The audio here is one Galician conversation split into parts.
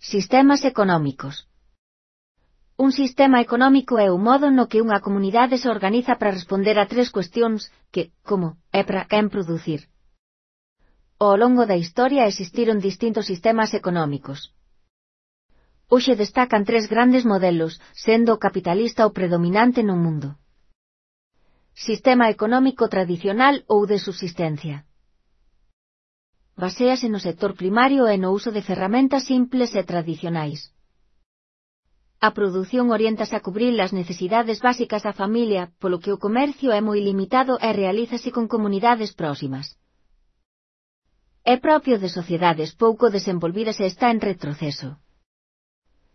Sistemas económicos. Un sistema económico é o modo no que unha comunidade se organiza para responder a tres cuestións que, como, e para quen producir. Ao longo da historia existiron distintos sistemas económicos. Hoxe destacan tres grandes modelos, sendo o capitalista o predominante no mundo. Sistema económico tradicional ou de subsistencia. Baséase no sector primario e no uso de ferramentas simples e tradicionais. A produción oriéntase a cubrir as necesidades básicas da familia, polo que o comercio é moi limitado e realízase con comunidades próximas. É propio de sociedades pouco desenvolvidas e está en retroceso.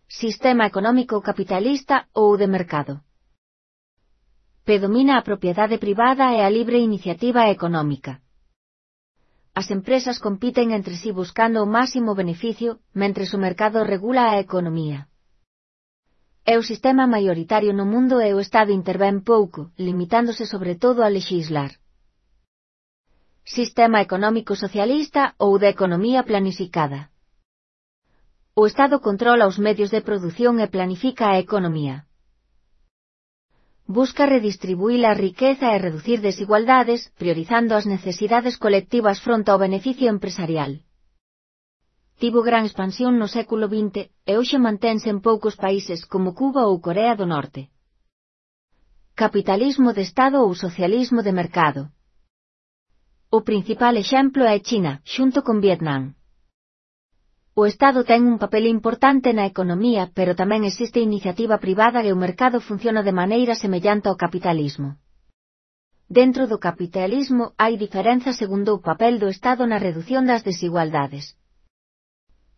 Sistema económico capitalista ou de mercado. Predomina a propiedade privada e a libre iniciativa económica. As empresas compiten entre si buscando o máximo beneficio, mentres o mercado regula a economía. É o sistema maioritario no mundo e o Estado intervén pouco, limitándose sobre todo a lexislar. Sistema económico socialista ou de economía planificada. O Estado controla os medios de produción e planifica a economía. Busca redistribuir a riqueza e reducir desigualdades, priorizando as necesidades colectivas fronte ao beneficio empresarial. Tivo gran expansión no século XX e hoxe mantense en poucos países como Cuba ou Corea do Norte. Capitalismo de Estado ou socialismo de mercado. O principal exemplo é China, xunto con Vietnam. O Estado ten un papel importante na economía, pero tamén existe iniciativa privada e o mercado funciona de maneira semellante ao capitalismo. Dentro do capitalismo hai diferenzas segundo o papel do Estado na redución das desigualdades.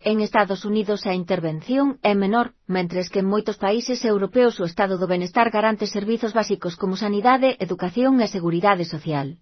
En Estados Unidos a intervención é menor, mentres que en moitos países europeos o estado do benestar garante servizos básicos como sanidade, educación e seguridade social.